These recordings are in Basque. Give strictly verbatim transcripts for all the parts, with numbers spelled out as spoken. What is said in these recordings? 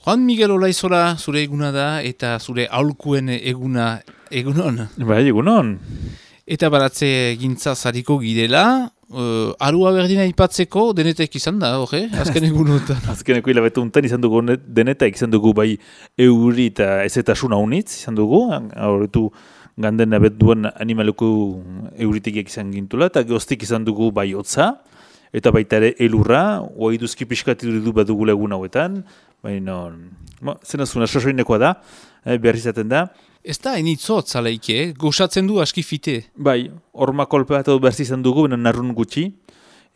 Juan Miguel Olaizola zure eguna da eta zure aholkuen eguna egunon. Bai, egunon. Eta baratze gintza zariko girela, uh, arua berdina ipatzeko denetek izan da, hori, azken egunotan. Azkeneko hilabetu untan izan dugu denetak izan dugu bai euri eta ezetasun haunitz izan dugu, horretu ganden abet duen animaluko euritegiak izan gintula, eta goztik izan dugu bai hotza, eta baita ere elurra, oa iduzki pixkati du badugu egun hauetan, baina, zena zuna sasoinekoa da, eh, behar izaten da. Ez da, enitzot zaleike, eh? Goxatzen du aski fite. Bai, horma kolpe bat behar izan dugu, baina narrun gutxi,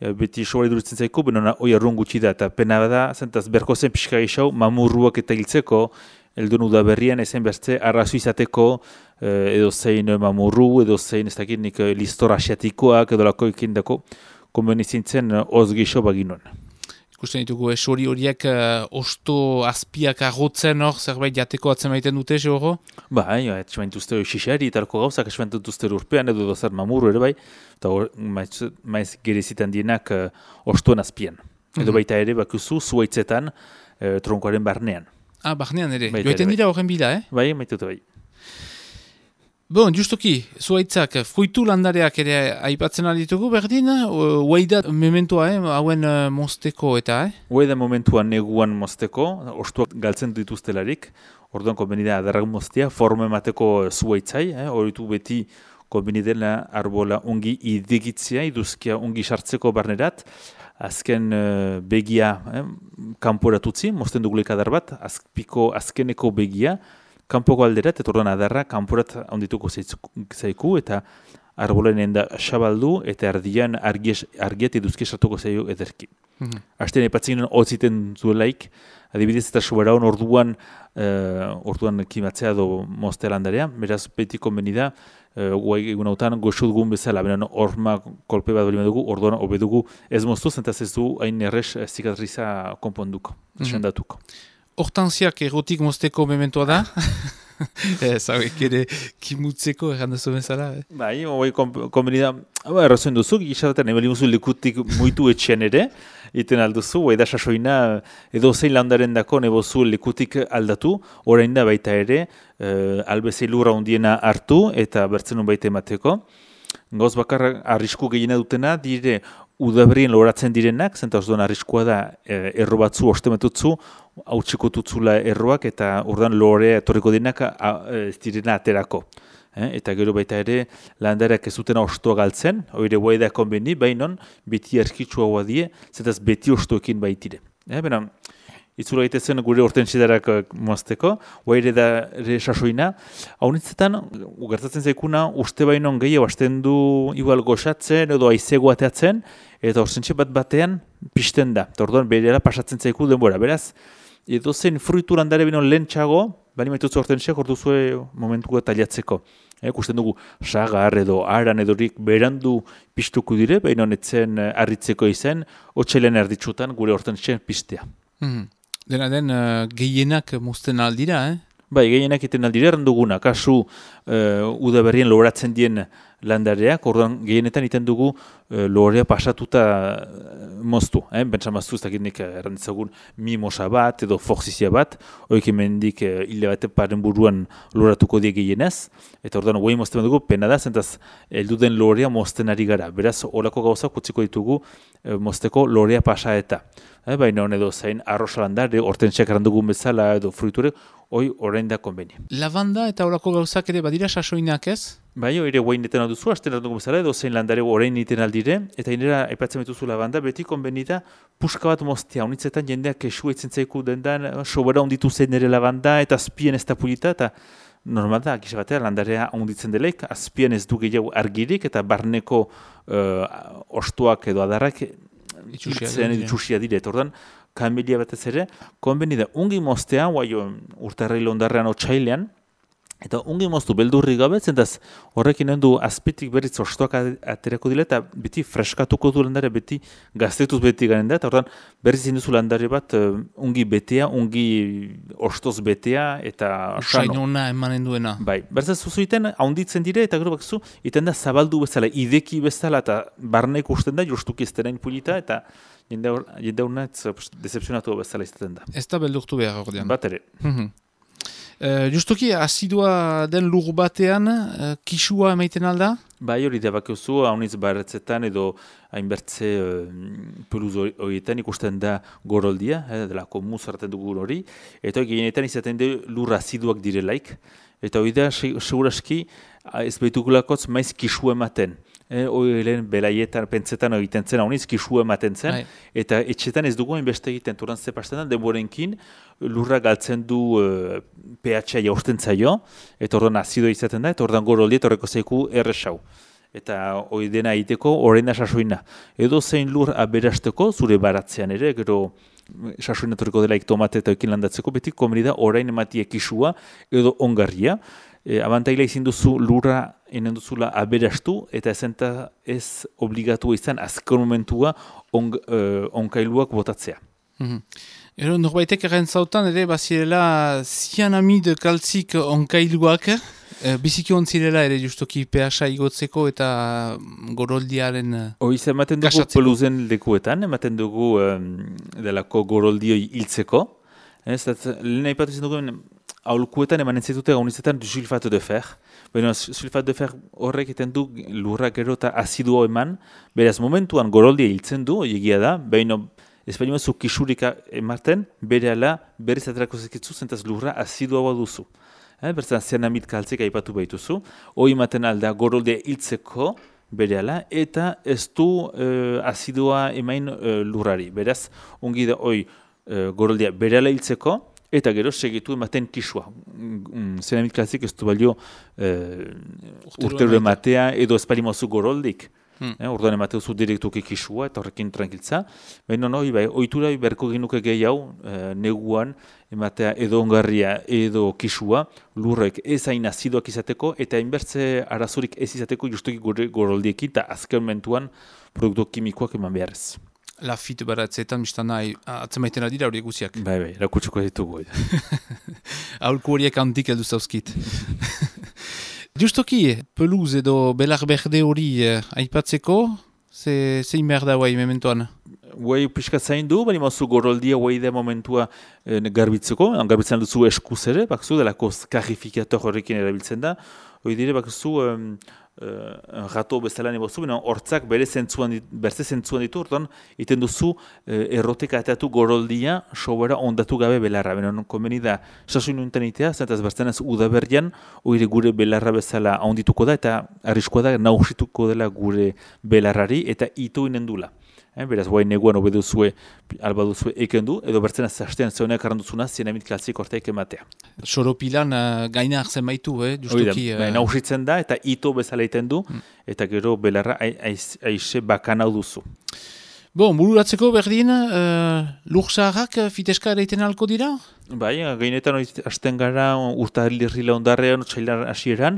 e, beti sobari durutzen zaiko, baina oi arrun gutxi da, eta pena bada, zentaz berko zen pixka geixau, mamurruak eta hiltzeko, eldun udaberrian ezen bertze, arrazu izateko, eh, edo zein mamurru, edo zein ez dakit nik listor asiatikoak, edo lako ikindako, konbenizintzen oz geixo baginuen. Ikusten ditugu, esori horiek uh, osto azpiak agotzen hor, zerbait jateko atzen maiten dute, zehoro? Bai, etxeman duzte xixari, italko gauzak, etxeman duzte urpean, edo dozer mamuru ere bai, eta maiz, maiz gerezitan dienak uh, ostoen azpian. Edo Mhm. baita ere, bakuzu, zuaitzetan, uh, tronkoaren barnean. Ah, barnean ere, Baita joiten ere, dira horren bila, eh? Bai, maituta bai. Bon, justoki, zuaitzak, fruitu landareak ere aipatzen alditugu berdin, huaida mementoa, eh, hauen uh, mozteko eta, eh? Hue da momentuan neguan mozteko, ostuak galtzen dituztelarik, orduan konbenida adarrak moztea, forma emateko zuaitzai, eh, horitu beti konbenidela arbola ungi idigitzia, iduzkia ungi sartzeko barnerat, azken uh, begia eh, kanporatutzi, mozten dugulik adar bat, azpiko azkeneko begia, kanpoko alderat, eta orduan adarra kanporat ondituko zaiku, eta arbolen enda xabaldu, eta ardian argies, argiet eduzki sartuko zaio ederki. Mhm. Asten epatzen hotziten zuelaik, adibidez eta soberaun orduan, uh, orduan kimatzea do moztea landarea, beraz beti konbenida, uh, guai egun hautan goxo dugun bezala, benen horma kolpe bat bali dugu, orduan obedugu ez moztu, zentaz ez du hain errez zikatriza konponduko, Mhm. sendatuko. Hortanziak erotik mozteko mementoa da? Ez, hauek ere kimutzeko errandazu bezala, eh? Bai, hoi konbenida, hau errazoen duzu, gixaraten ebali muzu lekutik muitu etxean ere, iten alduzu, hoi da sasoina edo zein landaren dako nebozu lekutik aldatu, orain da baita ere, eh, albezei lurra hundiena hartu eta bertzen baita emateko. Gauz bakar arrisku gehiena dutena, dire udaberrien loratzen direnak, zenta orduan arriskua da eh, erro batzu ostemetutzu, hautsiko tutzula erroak eta orduan lorea etorriko denak ez direna aterako. Eh? Eta gero baita ere landareak ez dutena ostoa galtzen, hori guai da konbeni, bainon beti erskitsua hoa die, zetaz beti ostoekin baitire. Eh? Bena, itzula egitezen gure hortentsidarak mozteko, guai ere da ere sasoina, haunitzetan, gertatzen zaikuna, uste bainon gehiago hasten du igual goxatzen edo aizego ateatzen, eta horzentxe bat batean pisten da. Eta orduan berera pasatzen zaiku denbora, beraz, edo zen fruitu landare bino lehentxago, bali maitutzu hortentxeak orduzue momentuko taliatzeko. E, kusten dugu sagar edo aran edorik berandu pistuko dire, baina netzen harritzeko izen, otxelen erditsutan gure hortentxean pistea. Mhm. Dena den, uh, gehienak mozten aldira, eh? Bai, gehienak iten aldire erranduguna, kasu uh, udaberrien loratzen dien landareak, orduan gehienetan iten dugu uh, lorea pasatuta uh, moztu. Eh? Bentsa maztu ez dakit nik erranditzagun mimosa bat edo foxizia bat, hoik emendik uh, hile bate paren buruan loratuko die gehienez, eta orduan guai mozten dugu, pena da, zentaz elduden lorea mozten ari gara. Beraz, horako gauzak utziko ditugu uh, mozteko lorea pasa eta. Eh, baina hon edo zain arrosa landare, hortentxeak errandugun bezala edo fruiture, hoi orain da konbeni. Lavanda eta horako gauzak ere badira sasoinak, ez? Bai, hori guain neten alduzu, hasten errandugun bezala edo zain landare orain niten aldire, eta inera aipatzen betuzu lavanda, beti konbeni da puska bat moztea, honitzetan jendeak kesu eitzen zaiku dendan, sobera onditu zen ere lavanda, eta azpien ez da pulita, eta normal da, gisa batea, landarea onditzen delaik, azpien ez du gehiago argirik, eta barneko uh, ostuak edo adarrak, Itxusia, itxusia dire, eta orduan, kamelia batez ere, konbeni da, ungi moztea, guai urtarrailo ondarrean otxailean, eta ungi moztu beldurri gabe, zentaz horrekin du azpitik berriz ostoak aterako dile, eta beti freskatuko du landare, beti gaztetuz beti garen da, eta orduan berriz induzu landare bat uh, ungi betea, ungi ostoz betea, eta Usainona emanen duena. Bai, berzaz zuzu iten, haunditzen dire, eta gero bakzu, iten da zabaldu bezala, ideki bezala, eta barnek usten da, jostuki ez denain pulita, eta jende horna decepzionatu bezala izaten da. Ez da beldurtu behar ordean. Bat ere. Mm-hmm. Uh, justoki, asidua den lur batean, uh, kisua emaiten alda? Bai hori da bakiozu, hauniz barretzetan edo hainbertze uh, peluz horietan ikusten da goroldia, eh, delako muz hartzen dugu hori, eta gehienetan izaten du lur aziduak direlaik, eta hori da seguraski ez behitukulakotz maiz kisu ematen. Eh, hori lehen belaietan, pentsetan egiten zen, hauniz kisu ematen zen, Ai. Eta etxetan ez dugu hainbeste egiten, turan zepasten da, denborenkin lurra galtzen du uh, pH-a jausten zaio, eta ordan azidoa izaten da, eta ordan goroldi eta horreko zeiku erresau. Eta hori dena egiteko horrein da sasoina. Edo zein lur aberasteko, zure baratzean ere, gero sasoina torriko delaik tomate eta ekin landatzeko, beti komeni da horrein ematie kisua edo ongarria. E, abantaila izin duzu lurra enen duzula aberastu, eta ezenta ez obligatu izan azken momentua on, uh, onkailuak botatzea. Mm-hmm. Ero norbaitek erren zautan ere bazirela zianamide kaltzik onkailuak, e, biziki ontzirela ere justoki pH igotzeko eta goroldiaren kashatzeko. Hoi ematen dugu peluzen lekuetan, ematen dugu um, delako goroldioi hiltzeko. Ez, lehen aipatu izan dugu, aholkuetan emanen zitute gaunizetan sulfato de fer. Baina sulfato de fer horrek eten du lurra gero eta aziduo eman. Beraz momentuan goroldia hiltzen du, egia da, baina espainioa zu kisurika ematen, bere ala berriz aterako zekitzu zentaz lurra aziduoa duzu. Eh, Bertzen zianamid kaltzek aipatu baituzu. Hoi ematen alda goroldia hiltzeko bere ala, eta ez du uh, azidoa emain uh, lurrari. Beraz, ongi da hoi uh, goroldia bere ala hiltzeko, eta gero segitu ematen kisua. Zianamid kaltzik ez du balio uh, urtero ematea edo espalimozu goroldik. Hmm. Eh, Orduan emateuzu direktuki kisua eta horrekin tranquiltza. Baina no, bai, ohitura berko ginuke gehiago eh, neguan ematea edo ongarria edo kisua lurrek ez hain azidoak izateko eta hainbertze arazorik ez izateko justuki gure goroldiekin eta azken momentuan produktu kimikoak eman beharrez. Lafit baratzeetan biztana atzemaiten adira horiek guziak. Bai, bai, erakutsuko ditugu. Aholku horiek handik heldu zauzkit. Justoki, peluz edo belar berde hori eh, aipatzeko, ze, zein behar da guai mementoan? Guai pixka zain du, bali mazu goroldia guai da momentua eh, garbitzeko, garbitzen duzu eskuz ere, bakzu delako karifikator horrekin erabiltzen da, hori dire bakzu um, uh, rato bezala nebozu, bina hortzak bere zentzuan, berze zentzuan ditu, orduan, iten duzu uh, erroteka ateatu goroldia sobera ondatu gabe belarra. Bina konbeni da, sasoin unten itea, zentaz bertzen ez udaberrian, hori gure belarra bezala ondituko da, eta arriskoa da nausituko dela gure belarrari, eta ito inen dula. Eh, beraz, guai neguan obeduzue, alba duzue eken du, edo bertzen aztean zeuneak arranduzuna, zienamit kaltzik orteik ematea. Soropilan uh, gaina hartzen baitu, eh, justuki. Uh... Nausitzen da, eta ito bezala iten du, hmm. eta gero belarra aixe bakan hau duzu. Bon, bururatzeko berdin, uh, lur zaharrak fiteska ereiten alko dira? Bai, gainetan hasten gara urtarrilirrila ondarrean, txailar hasieran,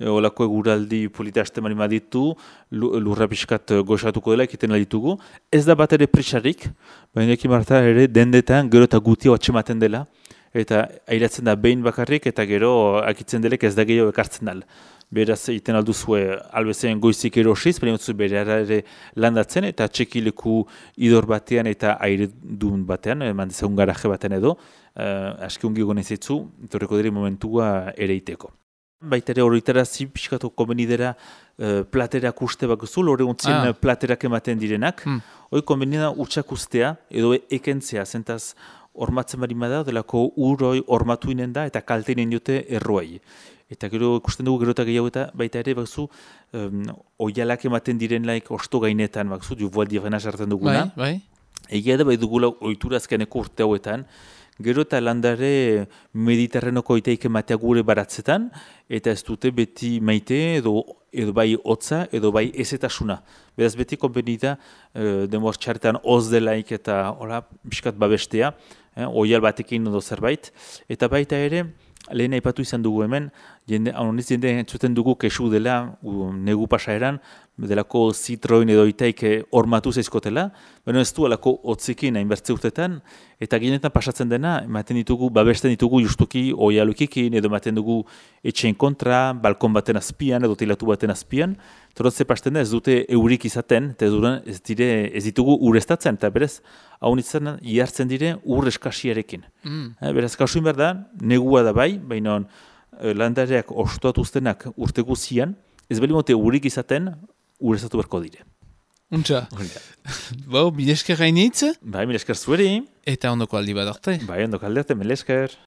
olako eguraldi polita hasten mani maditu, lurra pixkat goxatuko dela ekiten ditugu. Ez da bat ere prisarik, baina ekin marta ere dendetan gero eta gutia atxematen dela, eta airatzen da behin bakarrik, eta gero akitzen delek ez da gehiago ekartzen dal. Beraz, egiten alduzue albezen goizik erosiz, baina dut bere ere landatzen, eta txekileku idor batean eta aire duen batean, eman dezagun garaje batean edo, uh, aski ungi gonezitzu, torreko dira momentua ere iteko. Baita ere horretara zi pixkatu konbenidera uh, platerak uste bakuzu, hori guntzien ah. platerak ematen direnak. Hmm. Hoi konbenida utxak ustea edo ekentzea, zentaz hormatzen bari da, delako uroi hormatu inen da eta kalte inen diote erroai. Eta gero ikusten dugu gero eta gehiago eta baita ere bakuzu um, oialak ematen diren laik osto gainetan bakuzu, jubual direna sartzen duguna. Bai, bai. Egia da bai dugula ohitura azkeneko urte hauetan, gero eta landare mediterrenoko iteik ematea gure baratzetan, eta ez dute beti maite edo, edo bai hotza edo bai ezetasuna. Beraz beti konbenida e, denbor txarretan hoz delaik eta ora, biskat babestea, eh, oial batekin edo zerbait, eta baita ere, lehen aipatu izan dugu hemen, jende, honiz jende entzuten dugu kesu dela u, negu pasaeran, delako zitroin edo itaik hormatu zeizkotela, baina ez du alako otzikin hainbertze urtetan, eta gehienetan pasatzen dena, ematen ditugu, babesten ditugu justuki oialukikin, edo ematen dugu etxeen kontra, balkon baten azpian, edo tilatu baten azpian, torotze pasten da ez dute eurik izaten, eta ez, duran, ez, dire, ez ditugu urestatzen, eta berez, hau nintzen, ihartzen dire ur eskasiarekin. Mm. Eh, beraz, kasuin behar da, negua da bai, baina landareak ostoatuztenak urte guzian, ez bali mote urik izaten, urezatu berko dire. Untxa. Bau, milesker gainitz? Bai, milesker zueri. Eta ondoko aldi bat arte. Bai, ondoko aldi arte, milesker.